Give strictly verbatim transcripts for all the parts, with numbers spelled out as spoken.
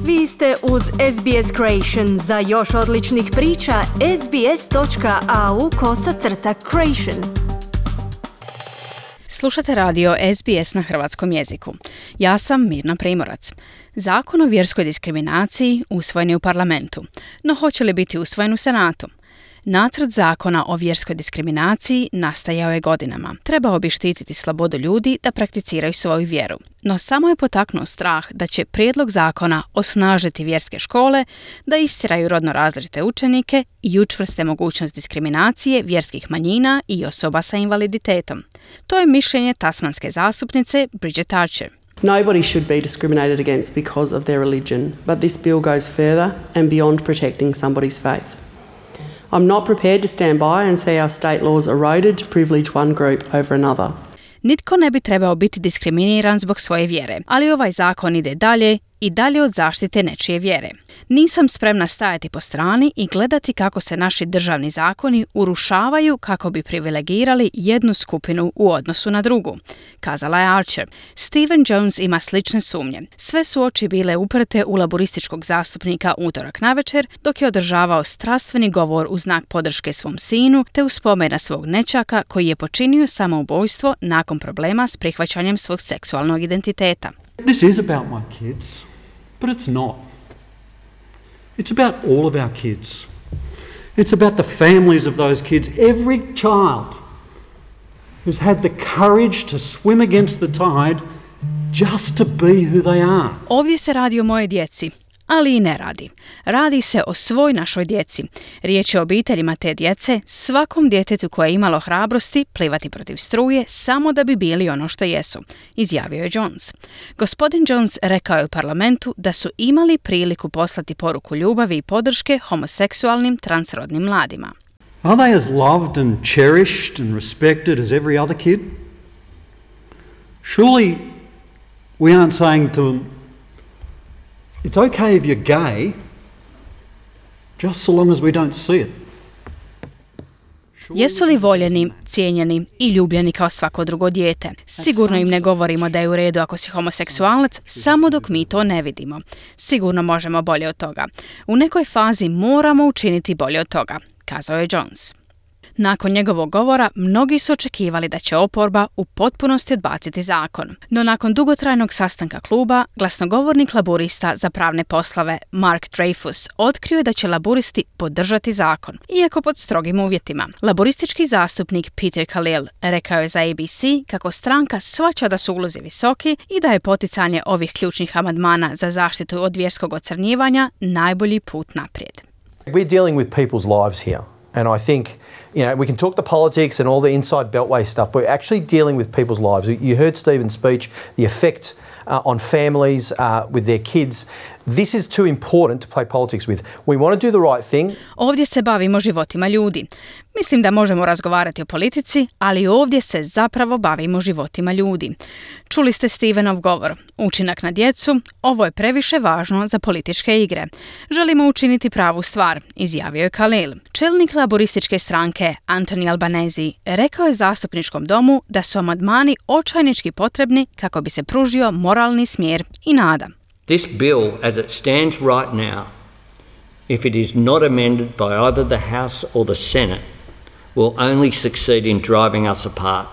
Vi ste uz S B S Creation. Za još odličnih priča, sbs.au kosacrta creation. Slušate radio S B S na hrvatskom jeziku. Ja sam Mirna Primorac. Zakon o vjerskoj diskriminaciji usvojen je u parlamentu, no hoće li biti usvojen u Senatu? Nacrt zakona o vjerskoj diskriminaciji nastajao je godinama. Trebao bi štititi slobodu ljudi da prakticiraju svoju vjeru. No samo je potaknuo strah da će prijedlog zakona osnažiti vjerske škole, da istjeraju rodno različite učenike i učvrste mogućnost diskriminacije vjerskih manjina i osoba sa invaliditetom. To je mišljenje tasmanske zastupnice Bridget Archer. Nobody should be discriminated against because of their religion, but this bill goes further and beyond protecting somebody's faith. I'm not prepared to stand by and see our state laws eroded to privilege one group over another. Nitko ne bi trebao biti diskriminiran zbog svoje vjere, ali ovaj zakon ide dalje i dalje od zaštite nečije vjere. Nisam spremna stajati po strani i gledati kako se naši državni zakoni urušavaju kako bi privilegirali jednu skupinu u odnosu na drugu, kazala je Archer. Stephen Jones ima slične sumnje. Sve su oči bile uprte u laborističkog zastupnika utorak navečer dok je održavao strastveni govor u znak podrške svom sinu te u spomen na svog nećaka koji je počinio samoubojstvo nakon problema s prihvaćanjem svog seksualnog identiteta. This is about my kids, but it's not. It's about all of our kids. It's about the families of those kids. Every child who's had the courage to swim against the tide just to be who they are. Ovdje se radi o moje djeci, ali i ne radi. Radi se o svoj našoj djeci. Riječ je o obiteljima te djece, svakom djetetu koje je imalo hrabrosti plivati protiv struje samo da bi bili ono što jesu, izjavio je Jones. Gospodin Jones rekao je u parlamentu da su imali priliku poslati poruku ljubavi i podrške homoseksualnim transrodnim mladima. Are they as loved and cherished and respected as every other kid? Surely we aren't saying to them, it's okay if you're gay, just so long as we don't see it. Jesu li voljeni, cijenjeni i ljubljeni kao svako drugo dijete? Sigurno im ne govorimo da je u redu ako si homoseksualac, samo dok mi to ne vidimo. Sigurno možemo bolje od toga. U nekoj fazi moramo učiniti bolje od toga, kazao je Jones. Nakon njegovog govora, mnogi su očekivali da će oporba u potpunosti odbaciti zakon. No nakon dugotrajnog sastanka kluba, glasnogovornik laburista za pravne poslove Mark Dreyfus otkrio je da će laburisti podržati zakon, iako pod strogim uvjetima. Laburistički zastupnik Peter Khalil rekao je za A B C kako stranka shvaća da su ulozi visoki i da je poticanje ovih ključnih amandmana za zaštitu od vjerskog ocrnjivanja najbolji put naprijed. We're dealing with people's lives here. And I think, you know, we can talk the politics and all the inside beltway stuff, but we're actually dealing with people's lives. You heard Stephen's speech, the effect uh, on families uh, with their kids. This is too important to play politics with. We want to do the right thing. Ovdje se bavimo životima ljudi. Mislim da možemo razgovarati o politici, ali ovdje se zapravo bavimo životima ljudi. Čuli ste Stevenov govor. Učinak na djecu, ovo je previše važno za političke igre. Želimo učiniti pravu stvar, izjavio je Khalil. Čelnik laborističke stranke Anthony Albanese rekao je zastupničkom domu da su amandmani očajnički potrebni kako bi se pružio moralni smjer i nada. This bill, as it stands right now, if it is not amended by either the House or the Senate, will only succeed in driving us apart.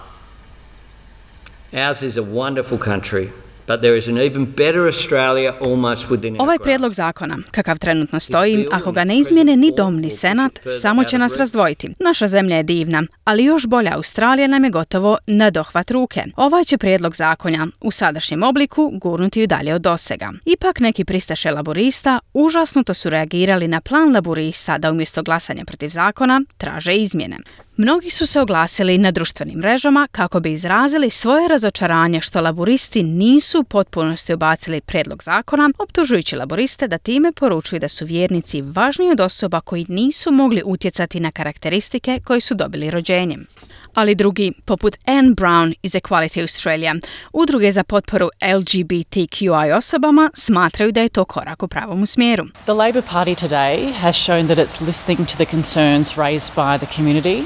Ours is a wonderful country, but there is an even better Australia almost within our Ovaj prijedlog zakona, kakav trenutno stoji, ako ga ne izmijene ni dom ni senat, samo će nas razdvojiti. Naša zemlja je divna, ali još bolja Australija nam je gotovo na dohvat ruke. Ovaj će prijedlog zakona u sadašnjem obliku gurnuti ju dalje od dosega. Ipak neki pristaše laborista užasnuto su reagirali na plan laborista da umjesto glasanja protiv zakona traže izmjene. Mnogi su se oglasili na društvenim mrežama kako bi izrazili svoje razočaranje što laboristi nisu u potpunosti ubacili prijedlog zakona, optužujući laboriste da time poručuju da su vjernici važniji od osoba koji nisu mogli utjecati na karakteristike koje su dobili rođenjem. Ali drugi, poput Anne Brown iz Equality Australia, udruge za potporu L G B T Q I osobama, smatraju da je to korak u pravom smjeru. The Labor Party today has shown that it's listening to the concerns raised by the community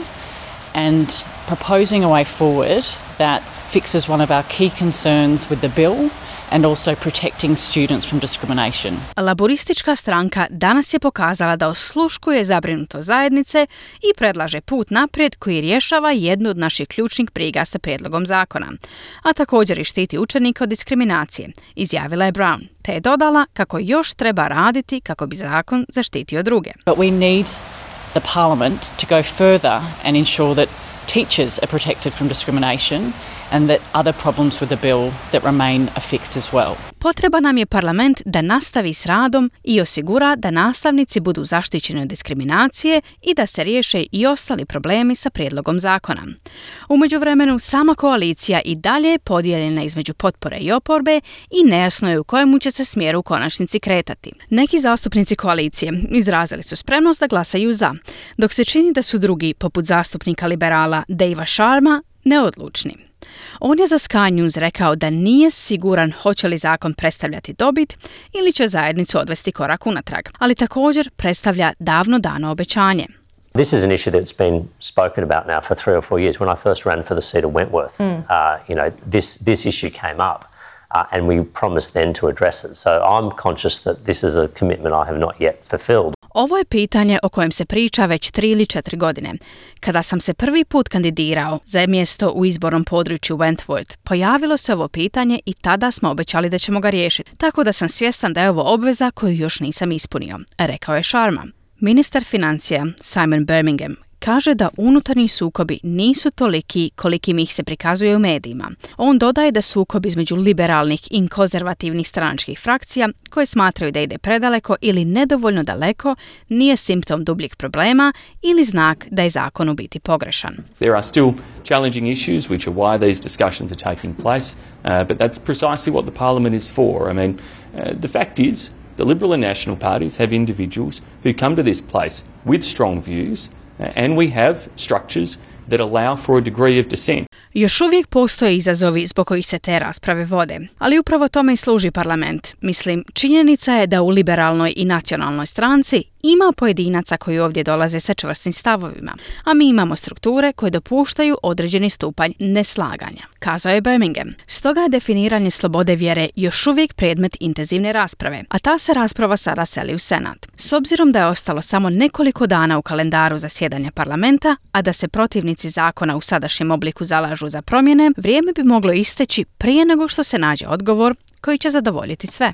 and proposing a way forward that fixes one of our key concerns with the bill and also protecting students from discrimination. Laboristička stranka danas je pokazala da osluškuje zabrinutost zajednice i predlaže put naprijed koji rješava jednu od naših ključnih briga sa prijedlogom zakona, a također i štiti učenike od diskriminacije, izjavila je Brown, te je dodala kako još treba raditi kako bi zakon zaštitio druge. But we need the Parliament to go further and ensure that teachers are protected from discrimination and that other problems with the bill that remain are fixed as well. Potreba nam je parlament da nastavi s radom i osigura da nastavnici budu zaštićeni od diskriminacije i da se riješe i ostali problemi sa prijedlogom zakona. U međuvremenu, sama koalicija i dalje je podijeljena između potpore i oporbe i nejasno je u kojemu će se smjeru u konačnici kretati. Neki zastupnici koalicije izrazili su spremnost da glasaju za, dok se čini da su drugi, poput zastupnika liberala Davea Sharma, neodlučni. On je za Sky News rekao da nije siguran hoće li zakon predstavljati dobit ili će zajednicu odvesti korak unatrag, ali također predstavlja davno dano obećanje. This is an issue that's been spoken about now for three or four years. When I first ran for the seat of Wentworth, mm. uh, you know, this, this issue came up uh, and we promised then to address it. So I'm conscious that this is a commitment I have not yet fulfilled. Ovo je pitanje o kojem se priča već tri ili četiri godine. Kada sam se prvi put kandidirao za mjesto u izbornom području Wentworth, pojavilo se ovo pitanje i tada smo obećali da ćemo ga riješiti, tako da sam svjestan da je ovo obveza koju još nisam ispunio, rekao je Sharma. Ministar financija Simon Birmingham kaže da unutarnji sukobi nisu toliki kolikim ih se prikazuje u medijima. On dodaje da sukob između liberalnih i konzervativnih stranačkih frakcija koje smatraju da ide predaleko ili nedovoljno daleko nije simptom dubljih problema ili znak da je zakon u biti pogrešan. There are still challenging issues which are why these discussions are taking place, uh, but that's precisely what the Parliament is for. I mean, uh, the fact is the Liberal and National parties have individuals who come to this place with strong views, and we have structures that allow for a degree of dissent. Još uvijek postoje izazovi zbog kojih se te rasprave vode, ali upravo tome i služi parlament. Mislim, činjenica je da u liberalnoj i nacionalnoj stranci ima pojedinaca koji ovdje dolaze sa čvrstim stavovima, a mi imamo strukture koje dopuštaju određeni stupanj neslaganja, kazao je Birmingham. Stoga je definiranje slobode vjere još uvijek predmet intenzivne rasprave, a ta se rasprava sada seli u Senat. S obzirom da je ostalo samo nekoliko dana u kalendaru zasjedanja parlamenta, a da se protivnici zakona u sadašnjem obliku zalažu za promjene, vrijeme bi moglo isteći prije nego što se nađe odgovor koji će zadovoljiti sve.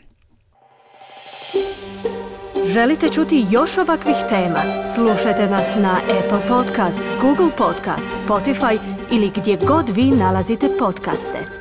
Želite čuti još ovakvih tema? Slušajte nas na Apple Podcast, Google Podcast, Spotify ili gdje god vi nalazite podcaste.